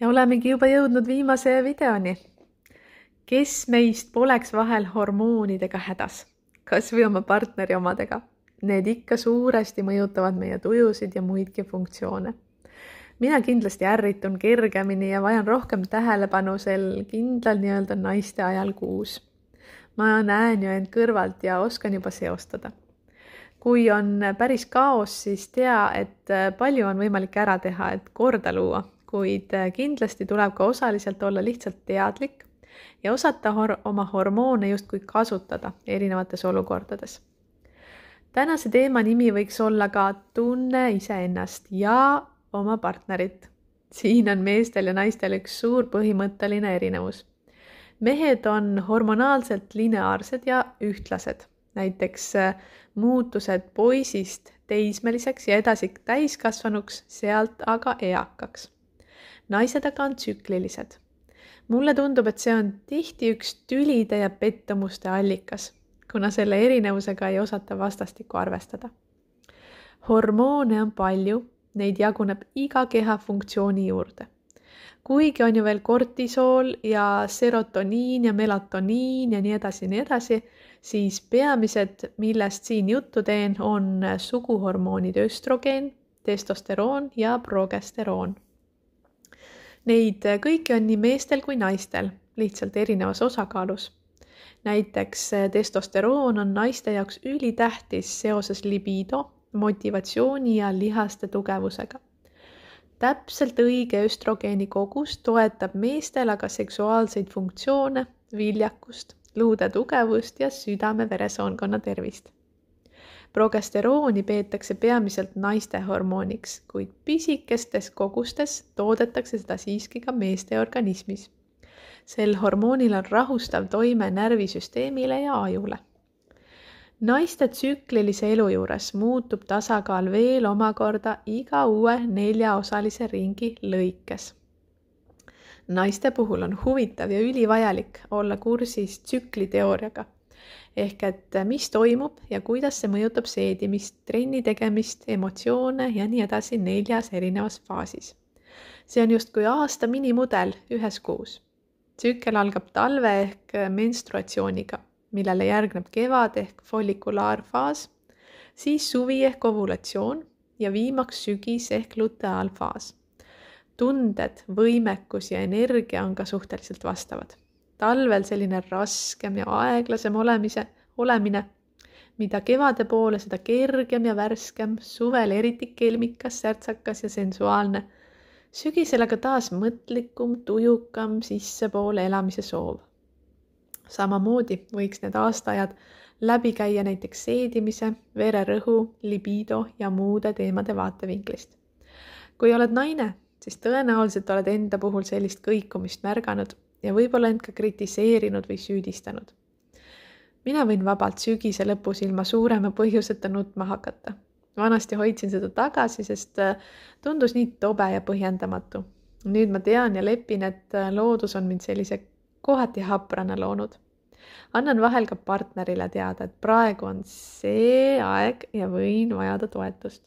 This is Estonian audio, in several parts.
Ja olemegi juba jõudnud viimase videoni. Kes meist poleks vahel hormoonidega hädas? Kas või oma partneri omadega? Need ikka suuresti mõjutavad meie tujusid ja muidki funktsioone. Mina kindlasti ärritun kergemini ja vajan rohkem tähelepanu sel kindlal nii-öelda naiste ajal kuus. Ma näen ju end kõrvalt ja oskan juba seostada. Kui on päris kaos, siis tea, et palju on võimalik ära teha, et korda luua, kuid kindlasti tuleb ka osaliselt olla lihtsalt teadlik ja osata oma hormoone justkui kasutada erinevates olukordades. Tänase teema nimi võiks olla ka tunne iseennast ja oma partnerit. Siin on meestel ja naistel üks suur põhimõtteline erinevus. Mehed on hormonaalselt lineaarsed ja ühtlased. Näiteks muutused poisist teismeliseks ja edasi täiskasvanuks, sealt aga eakaks. Naised aga on tsüklilised. Mulle tundub, et see on tihti üks tülide ja pettumuste allikas, kuna selle erinevusega ei osata vastastikku arvestada. Hormoone on palju, neid jaguneb iga keha funktsiooni juurde. Kuigi on ju veel kortisool ja serotoniin ja melatoniin ja nii edasi, siis peamised, millest siin juttu teen, on suguhormoonid östrogeen, testosteroon ja progesteroon. Neid kõiki on nii meestel kui naistel, lihtsalt erinevas osakaalus. Näiteks testosteroon on naiste jaoks ülitähtis seoses libido, motivatsiooni ja lihaste tugevusega. Täpselt õige östrogeeni kogus toetab meestel aga seksuaalseid funktsioone, viljakust, luude tugevust ja südame-veresoonkonna tervist. Progesterooni peetakse peamiselt naiste hormooniks, kuid pisikestes kogustes toodetakse seda siiski ka meeste organismis. Sel hormoonil on rahustav toime närvisüsteemile ja ajule. Naiste tsüklilise elu juures muutub tasakaal veel omakorda iga uue 4-osalise ringi lõikes. Naiste puhul on huvitav ja ülivajalik olla kursis tsükliteooriaga, ehk et mis toimub ja kuidas see mõjutab seedimist, trenni tegemist, emotsioone ja nii edasi 4 erinevas faasis. See on justkui aasta minimudel ühes kuus. Tsükkel algab talve ehk menstruatsiooniga, millele järgneb kevad ehk follikulaarfaas, siis suvi ehk ovulatsioon ja viimaks sügis ehk luteaalfaas. Tunded, võimekus ja energia on ka suhteliselt vastavad. Talvel selline raskem ja aeglasem olemine, mida kevade poole, seda kergem ja värskem, suvel eriti kelmikas, särtsakas ja sensuaalne. Sügisel aga taas mõtlikum, tujukam, sissepoole elamise soov. Samamoodi võiks need aastaajad läbi käia näiteks seedimise, vererõhu, libido ja muude teemade vaatevinklist. Kui oled naine, siis tõenäoliselt oled enda puhul sellist kõikumist märganud ja võib-olla end ka kritiseerinud või süüdistanud. Mina võin vabalt sügise lõpus ilma suurema põhjuseta nutma hakata. Vanasti hoidsin seda tagasi, sest tundus nii tobe ja põhjendamatu. Nüüd ma tean ja lepin, et loodus on mind sellise kohati haprana loonud. Annan vahel ka partnerile teada, et praegu on see aeg ja võin vajada toetust.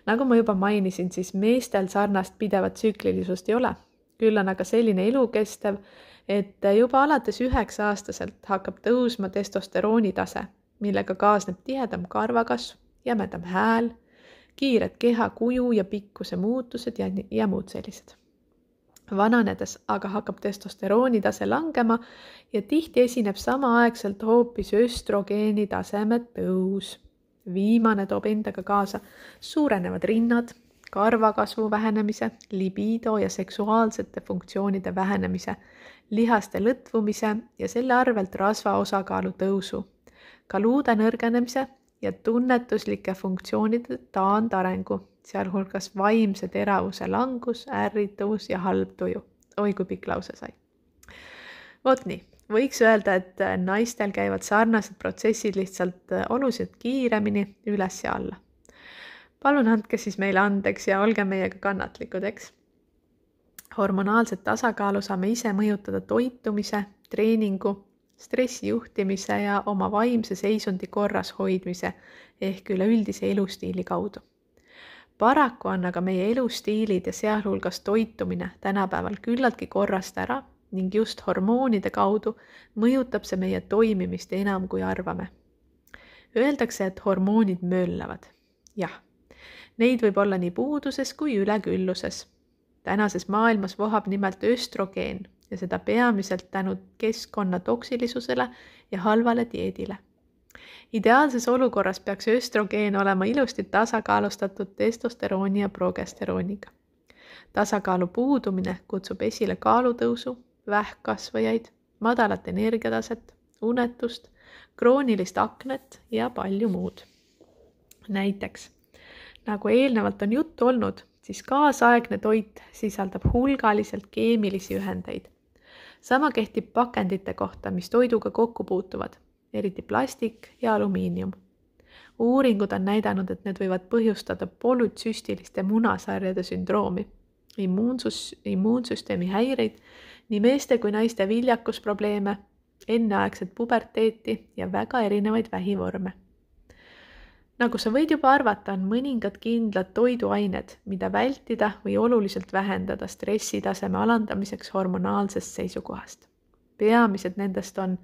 Nagu ma juba mainisin, siis meestel sarnast pidevat tsüklilisust ei ole. Küll on aga selline elukestev, et juba alates 9-aastaselt hakkab tõusma testosterooni tase, millega kaasneb tihedam karvakasv, jämedam hääl, kiired keha kuju ja pikkuse muutused ja muud sellised. Vananedes aga hakkab testosterooni tase langema ja tihti esineb samaaegselt hoopis östrogeeni taseme tõus. Viimane toob endaga kaasa suurenevad rinnad, karvakasvu vähenemise, libido ja seksuaalsete funktsioonide vähenemise, lihaste lõtvumise ja selle arvelt rasva osakaalu tõusu, ka luude nõrgenemise ja tunnetuslike funktsioonide taandarengu, sealhulgas vaimse teravuse langus, ärrituvus ja halb tuju. Oi, kui pikk lause sai. Vot nii, võiks öelda, et naistel käivad sarnased protsessid lihtsalt oluliselt kiiremini üles ja alla. Palun andke siis meile andeks ja olge meiega kannatlikud, eks? Hormonaalset tasakaalu saame ise mõjutada toitumise, treeningu, stressi juhtimise ja oma vaimse seisundi korras hoidmise ehk üleüldise elustiili kaudu. Paraku on aga meie elustiilid ja sealhulgas toitumine tänapäeval küllaltki korrast ära ning just hormoonide kaudu mõjutab see meie toimimist enam kui arvame. Öeldakse, et hormoonid möllavad. Jah, neid võib olla nii puuduses kui ülekülluses. Tänases maailmas vohab nimelt östrogeen ja seda peamiselt tänu keskkonna toksilisusele ja halvale dieedile. Ideaalses olukorras peaks östrogeen olema ilusti tasakaalustatud testosterooni ja progesterooniga. Tasakaalu puudumine kutsub esile kaalutõusu, vähkkasvajaid, madalat energiataset, unetust, kroonilist aknet ja palju muud. Näiteks, nagu eelnevalt on juttu olnud, siis kaasaegne toit sisaldab hulgaliselt keemilisi ühendeid. Sama kehtib pakendite kohta, mis toiduga kokku puutuvad, eriti plastik ja alumiinium. Uuringud on näidanud, et need võivad põhjustada polütsüstiliste munasarjade sündroomi, immuunsüsteemi häireid, nii meeste kui naiste viljakusprobleeme, enneaegset puberteeti ja väga erinevaid vähivorme. Nagu sa võid juba arvata, on mõningad kindlad toiduained, mida vältida või oluliselt vähendada stressitaseme alandamiseks hormonaalsest seisukohast. Peamised nendest on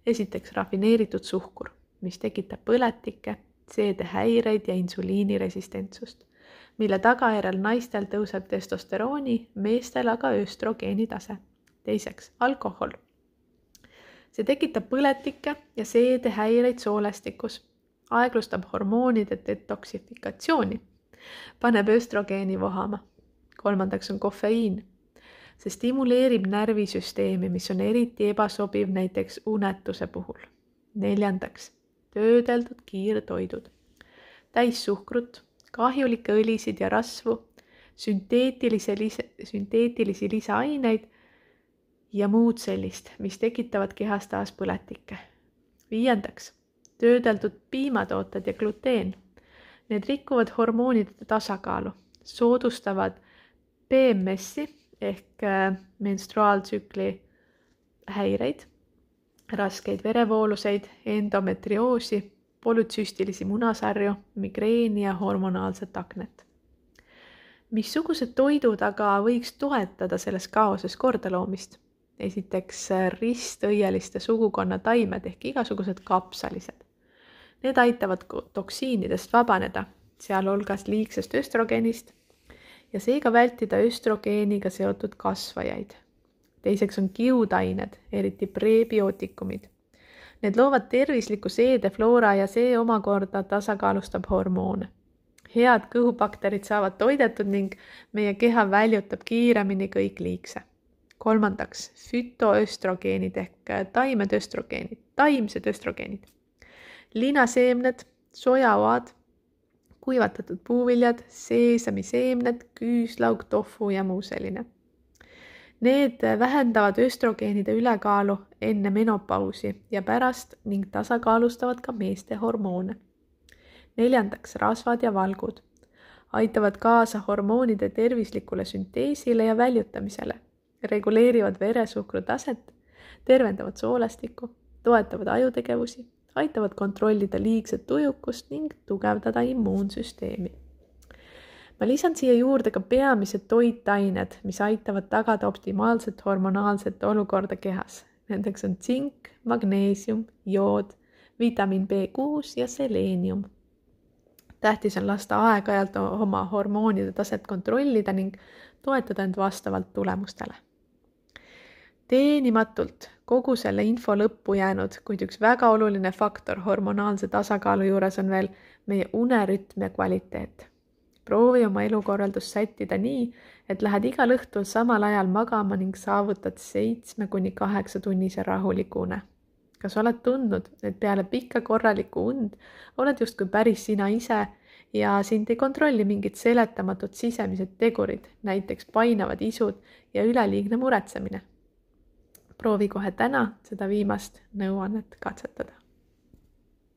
esiteks rafineeritud suhkur, mis tekitab põletikke, seedehäireid ja insuliiniresistentsust, mille tagajärjel naistel tõuseb testosterooni, meestel aga östrogeeni tase. Teiseks, alkohol. See tekitab põletikke ja seedehäireid soolestikus, aeglustab hormoonide detoksifikatsiooni, paneb östrogeeni vohama. Kolmandaks on kofeiin. See stimuleerib närvisüsteemi, mis on eriti ebasobiv näiteks unetuse puhul. Neljandaks, töödeldud kiirtoidud. Täissuhkrut, kahjulikke õlisid ja rasvu, sünteetilisi lisaaineid ja muud sellist, mis tekitavad kehas taas põletikke. Viiendaks, töödeldud piimatooted ja gluteen. Need rikuvad hormoonide tasakaalu, soodustavad PMS-i ehk menstruaaltsükli häireid, raskeid verevooluseid, endometrioosi, polütsüstilisi munasarju, migreeni ja hormonaalset aknet. Missugused toidud aga võiks toetada selles kaoses kordaloomist? Esiteks ristõieliste sugukonna taimed ehk igasugused kapsalised. Need aitavad toksiinidest vabaneda, sealhulgas liigsest östrogeenist ja seega vältida östrogeeniga seotud kasvajaid. Teiseks on kiudained, eriti prebiootikumid. Need loovad tervisliku seedefloora ja see omakorda tasakaalustab hormoone. Head kõhubakterid saavad toidetud ning meie keha väljutab kiiremini kõik liigse. Kolmandaks, fütoöstrogeenid ehk taimsed östrogeenid. Linaseemned, sojaoad, kuivatatud puuviljad, seesamiseemned, küüslaug, tofu ja muu selline. Need vähendavad östrogeenide ülekaalu enne menopausi ja pärast ning tasakaalustavad ka meeste hormoone. Neljandaks, rasvad ja valgud. Aitavad kaasa hormoonide tervislikule sünteesile ja väljutamisele. Reguleerivad veresuhkru taset, tervendavad soolestikku, toetavad ajutegevusi, aitavad kontrollida liigset tujukust ning tugevdada immuunsüsteemi. Ma lisan siia juurde ka peamised toitained, mis aitavad tagada optimaalset hormonaalset olukorda kehas. Nendeks on tsink, magneesium, jood, vitamiin B6 ja seleenium. Tähtis on lasta aeg-ajalt oma hormoonide taset kontrollida ning toetada end vastavalt tulemustele. Teenimatult kogu selle info lõppu jäänud, kuid üks väga oluline faktor hormonaalse tasakaalu juures on veel meie unerütm ja kvaliteet. Proovi oma elukorraldust sättida nii, et lähed igal õhtul samal ajal magama ning saavutad 7–8 tunnise rahuliku une. Kas oled tundnud, et peale pikka korralikku und oled justkui päris sina ise ja sind ei kontrolli mingid seletamatud sisemised tegurid, näiteks painavad isud ja üleliigne muretsemine? Proovi kohe täna seda viimast nõuannet katsetada.